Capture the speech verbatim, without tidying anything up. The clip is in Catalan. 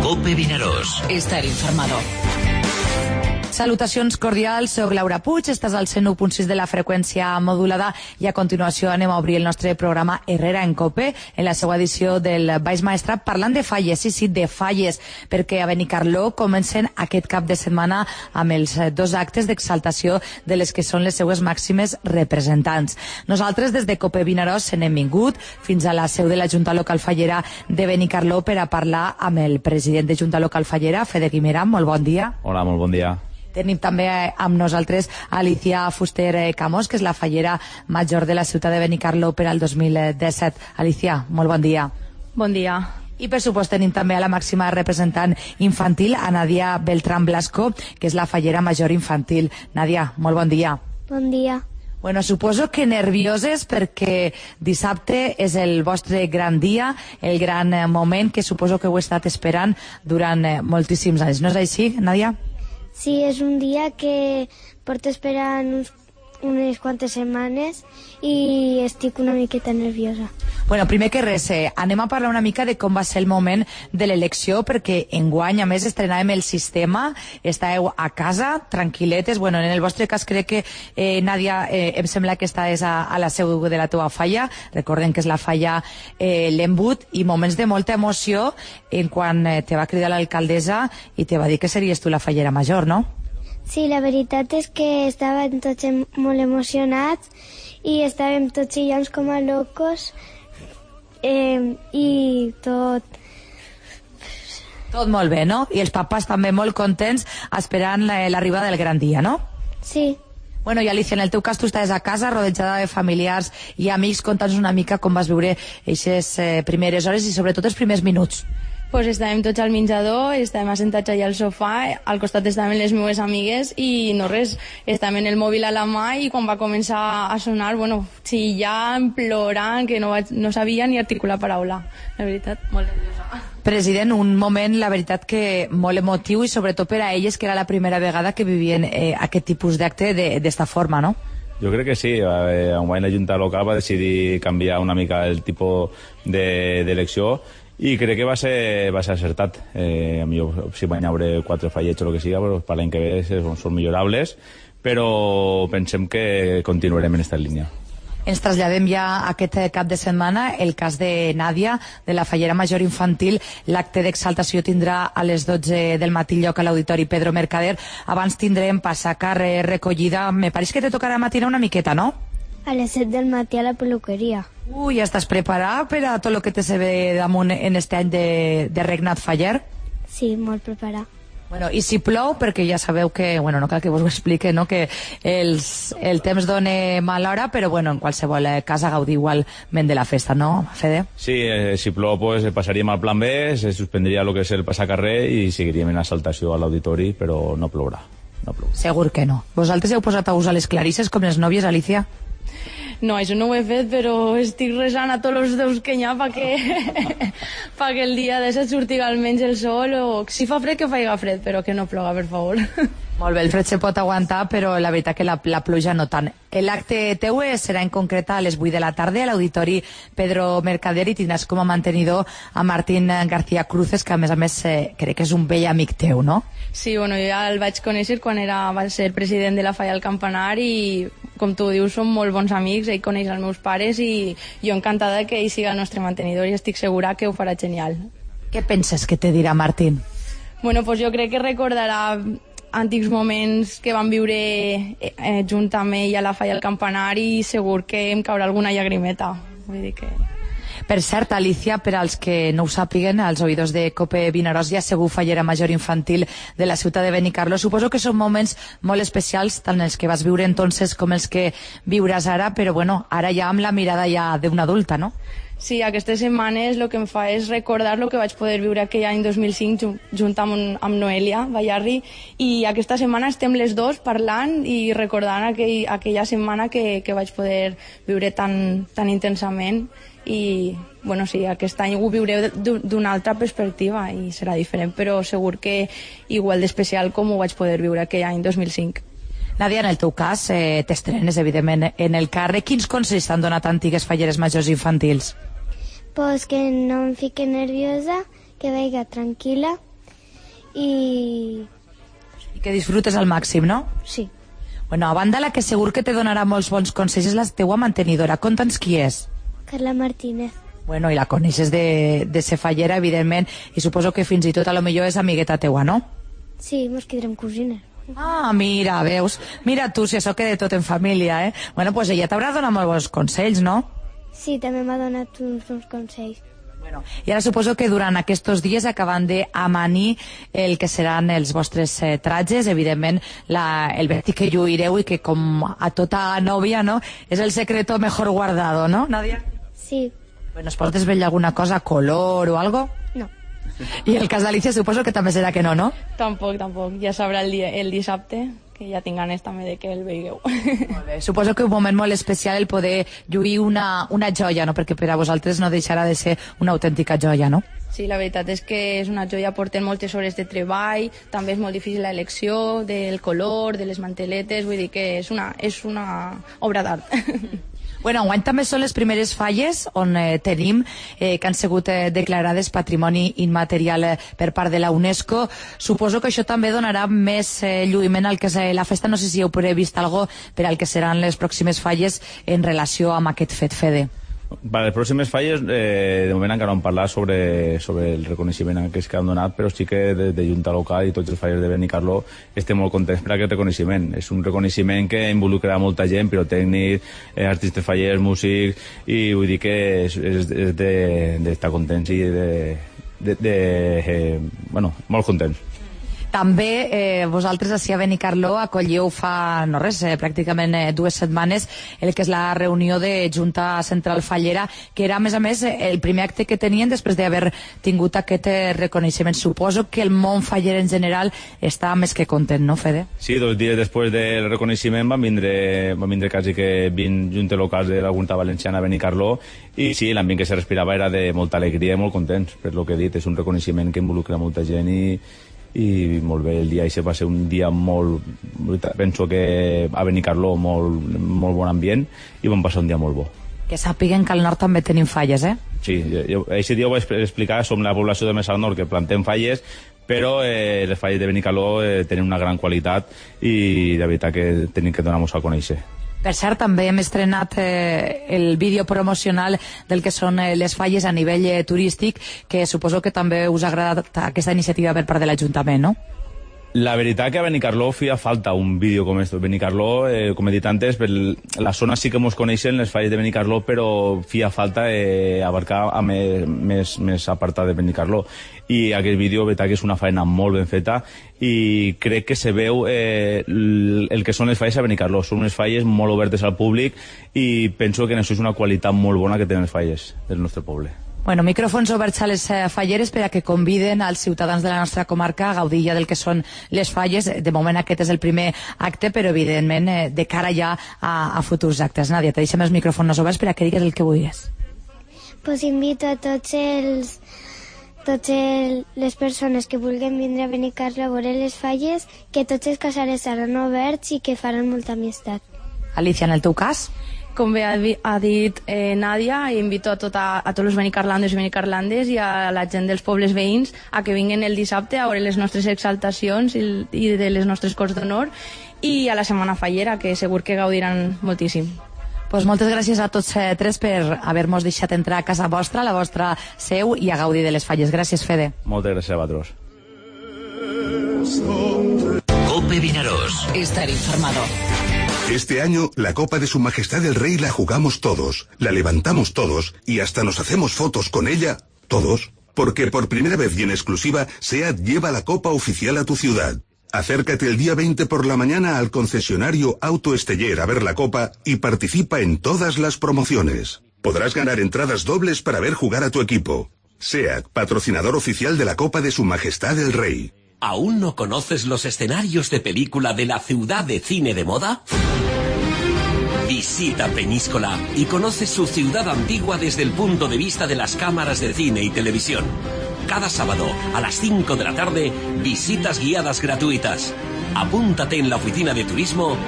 Cope Vinaròs. Estar informado. Salutacions cordials, soc Laura Puig, estàs al cent u punt sis de la freqüència modulada i a continuació anem a obrir el nostre programa Herrera en Cope, en la seva edició del Baix Maestrat, parlant de falles, sí, sí, de falles, perquè a Benicarló comencen aquest cap de setmana amb els dos actes d'exaltació de les que són les seues màximes representants. Nosaltres des de Cope Vinaròs se n'hem vingut fins a la seu de la Junta Local Fallera de Benicarló per a parlar amb el president de Junta Local Fallera, Fede Guimerà. Molt bon dia. Hola, molt bon dia. Tenim també amb nosaltres Alicia Fuster Camós, que és la fallera major de la ciutat de Benicarló per al dos mil disset. Alicia, molt bon dia. Bon dia. I per supost tenim també a la màxima representant infantil, a Nadia Beltrán Blasco, que és la fallera major infantil. Nadia, molt bon dia. Bon dia. Bueno, suposo que nervioses perquè dissabte és el vostre gran dia, el gran moment que suposo que heu estat esperant durant moltíssims anys. No és així, Nadia? Sí, és un dia que porto esperant uns, unes quantes setmanes i estic una miqueta nerviosa. Bueno, primer que res, eh, anem a parlar una mica de com va ser el moment de l'elecció, perquè enguany, a més, estrenàvem el sistema, estàveu a casa, tranquil·letes. Bueno, en el vostre cas crec que, eh, Nadia, eh, em sembla que estàs a, a la seu de la teva falla, recordem que és la falla eh, l'Embut, i moments de molta emoció en quan eh, te va cridar l'alcaldessa i te va dir que series tu la fallera major, no? Sí, la veritat és que estàvem tots molt emocionats i estàvem tots chillants com a locos eh, i tot... Tot molt bé, no? I els papàs també molt contents esperant l'arribada del gran dia, no? Sí. Bueno, i Alicia, en el teu cas tu estaves a casa rodejada de familiars i amics. Conta'ns una mica com vas viure aquestes eh, primeres hores i sobretot els primers minuts. Pues estàvem tots al menjador, estàvem assentats allà al sofà, al costat estaven les meves amigues i no res, estàvem en el mòbil a la mà i quan va començar a sonar, bueno, chillant, plorant, que no, vaig, no sabia ni articular paraula. La veritat, molt nerviosa. President, un moment, la veritat, que molt emotiu i sobretot per a elles, que era la primera vegada que vivien eh, aquest tipus d'acte d'esta forma, no? Jo crec que sí. Eh, enguany la Junta Local va decidir canviar una mica el tipus d'elecció de, i crec que va ser, va ser acertat. Eh, a millor si van haure quatre fallets o el que siga, però per l'any que ve són, són millorables, però pensem que continuarem en aquesta línia. Ens traslladem ja aquest cap de setmana el cas de Nadia, de la fallera major infantil. L'acte d'exaltació tindrà a les dotze del matí lloc a l'Auditori Pedro Mercader. Abans tindrem passacarrer, recollida. Me pareix que te tocarà matinar una miqueta, no? A les set del matí a la peluqueria. Ui, ja estàs preparat per a tot el que te se ve damunt en este any de, de regnat faller? Sí, molt preparat. Bueno, i si plou, perquè ja sabeu que, bueno, no cal que vos ho explique, no?, que els, el temps dona mala hora, però bueno, en qualsevol cas a gaudir igualment de la festa, no, Fede? Sí, eh, si plou, pues, passaríem al plan B, se suspendria el que és el passacarrer i seguiríem en assaltació a l'auditori, però no plourà. No plourà. Segur que no. Vosaltres heu posat a usar les clarisses com les nòvies, Alicia? No, això no ho he fet, però estic resant a tots els déus que hi ha perquè pa que el dia de set surti almenys el sol, o si fa fred que faiga fred, però que no ploga, per favor. Molt bé, el fred se pot aguantar, però la veritat que la, la pluja no tant. L'acte teu serà en concret a les vuit de la tarda a l'Auditori Pedro Mercader i tindràs com a mantenidor a Martín García Cruces, que a més a més eh, crec que és un vell amic teu, no? Sí, bueno, jo ja el vaig conèixer quan era, va ser president de la Falla al Campanar i, com tu dius, som molt bons amics, ell coneix els meus pares i jo encantada que ell siga el nostre mantenidor i estic segura que ho farà genial. Què penses que te dirà Martín? Bueno, pues jo crec que recordarà antics moments que van viure eh, junt amb ell a la Falla al Campanar i segur que em caurà alguna llagrimeta. Vull dir que... Per cert, Alicia, per als que no ho sàpiguen, als oïdors de Cope Vinaròs ja segur fallera major infantil de la ciutat de Benicarló. Suposo que són moments molt especials, tant els que vas viure entonces com els que viuràs ara, però bueno, ara ja amb la mirada ja d'una adulta, no? Sí, aquestes setmanes el que em fa és recordar el que vaig poder viure aquell any dos mil cinc junt amb, amb Noelia Ballarri, i aquesta setmana estem les dos parlant i recordant aquell, aquella setmana que, que vaig poder viure tan, tan intensament i bueno, sí, aquest any ho viuré d'una altra perspectiva i serà diferent, però segur que igual d'especial com ho vaig poder viure aquell any dos mil cinc. Nadia, en el teu cas, eh, t'estrenes, evidentment, en el càrrec. Quins consells t'han donat antigues falleres majors infantils? Pues que no em fique nerviosa, que veiga tranquil·la i... I que disfrutes al màxim, no? sí. Bueno, a banda la que segur que te donarà molts bons consells és la teua mantenidora. Conta'ns qui és. Carla Martínez. Bueno, i la coneixes de, de ser fallera, evidentment, i suposo que fins i tot a lo millor és amigueta teua, no? Sí, mos quedarem cosines. Ah, mira, veus? Mira tu, si això queda tot en família, eh? Bueno, pues ella t'haurà donat molts bons consells, no? Sí, també m'ha donat uns bons consells. Bueno, i ara suposo que durant aquests dies acaben d'amanir el que seran els vostres eh, tratges, evidentment la, el vestit que lluireu i que com a tota nòvia, no? És el secreto mejor guardado, no, Nadia? Sí. Bueno, es pot desvetllar alguna cosa, color o algo? No. I el cas d'Alicia suposo que també serà que no, no? Tampoc, tampoc. Ja sabrà el, dia, el dissabte, que ja tinc ganes també de que el veigueu. Molt bé. Suposo que un moment molt especial el poder lluir una, una joia, no? Perquè per a vosaltres no deixarà de ser una autèntica joia, no? Sí, la veritat és que és una joia, porten moltes hores de treball, també és molt difícil l'elecció del color, de les manteletes, vull dir que és una, és una obra d'art. Bueno, enguany també són les primeres falles on eh, tenim eh, que han sigut eh, declarades patrimoni immaterial eh, per part de la UNESCO. Suposo que això també donarà més eh, lluïment al que és eh, la festa. No sé si heu previst algo per al que seran les pròximes falles en relació amb aquest fet, Fede. Per les pròximes falles, eh, de moment encara no hem parlat sobre, sobre el reconeixement que es que han donat, però sí que de, de Junta Local i tots els falles de Benicarló estem molt contents per aquest reconeixement. És un reconeixement que involucrarà molta gent, pirotècnics, eh, artistes fallers, músics, i vull dir que és, és, és d'estar de, de contents i de... de, de eh, bueno, molt contents. També eh, vosaltres ací a Benicarló acolleu fa, no res, eh, pràcticament eh, dues setmanes el que és la reunió de Junta Central Fallera, que era, a més a més, el primer acte que tenien després d'haver tingut aquest eh, reconeixement. Suposo que el món faller en general està més que content, no, Fede? Sí, dos dies després del reconeixement van vindre, van vindre quasi que vint juntes locals de la Junta Valenciana a Benicarló, i sí, l'ambient que se respirava era de molta alegria i molt contents, per lo que he dit. És un reconeixement que involucra molta gent i i molt bé, el dia això va ser un dia molt, penso que a Benicarló molt, molt bon ambient i vam passar un dia molt bo. Que sàpiguen que al nord també tenim falles, eh? Sí, jo, aquest dia ho vaig explicar, som la població de més al nord que plantem falles, però eh, les falles de Benicarló eh, tenen una gran qualitat i de veritat que tenim que donar-nos a conèixer. Per cert, també hem estrenat eh, el vídeo promocional del que són eh, les falles a nivell eh, turístic, que suposo que també us ha agradat aquesta iniciativa per part de l'Ajuntament, no? La veritat que a Benicarló feia falta un vídeo com aquest. Benicarló, eh, com he dit antes, per la zona sí que mos coneixen les falles de Benicarló, però feia falta eh, abarcar a més, més, més apartat de Benicarló. I aquest vídeo, veritat que és una feina molt ben feta i crec que se veu eh, el que són les falles a Benicarló. Són unes falles molt obertes al públic i penso que en això és una qualitat molt bona que tenen les falles del nostre poble. Bueno, micròfons oberts a les eh, falleres per a que conviden als ciutadans de la nostra comarca a gaudir ja del que són les falles. De moment aquest és el primer acte, però evidentment eh, de cara ja a, a futurs actes. Nàdia, te deixem els micròfons oberts per a que digues el que vulguis. Pues invito a tots els totes les persones que vulguin vindre a Benicarló a veure les falles, que tots els casals seran oberts i que faran molta amistat. Alicia, en el teu cas? Com bé ha, ha dit eh, Nàdia, invito a, tota, a tots els benicarlandes i benicarlandes i a la gent dels pobles veïns a que vinguin el dissabte a veure les nostres exaltacions i, i de les nostres Corts d'Honor i a la Setmana Fallera, que segur que gaudiran moltíssim. Pues moltes gràcies a tots eh, tres per haver-nos deixat entrar a casa vostra, a la vostra seu, i a gaudir de les falles. Gràcies, Fede. Moltes gràcies a vosaltres. Cope Vinaròs. Estar informado. Este año, la Copa de Su Majestad el Rey la jugamos todos, la levantamos todos y hasta nos hacemos fotos con ella, todos, porque por primera vez y en exclusiva, SEAT lleva la Copa oficial a tu ciudad. Acércate el día veinte por la mañana al concesionario Auto Esteller a ver la Copa y participa en todas las promociones. Podrás ganar entradas dobles para ver jugar a tu equipo. SEAT, patrocinador oficial de la Copa de Su Majestad el Rey. ¿Aún no conoces los escenarios de película de la ciudad de cine de moda? Visita Peñíscola y conoce su ciudad antigua desde el punto de vista de las cámaras de cine y televisión. Cada sábado a las cinco de la tarde, visitas guiadas gratuitas. Apúntate en la oficina de turismo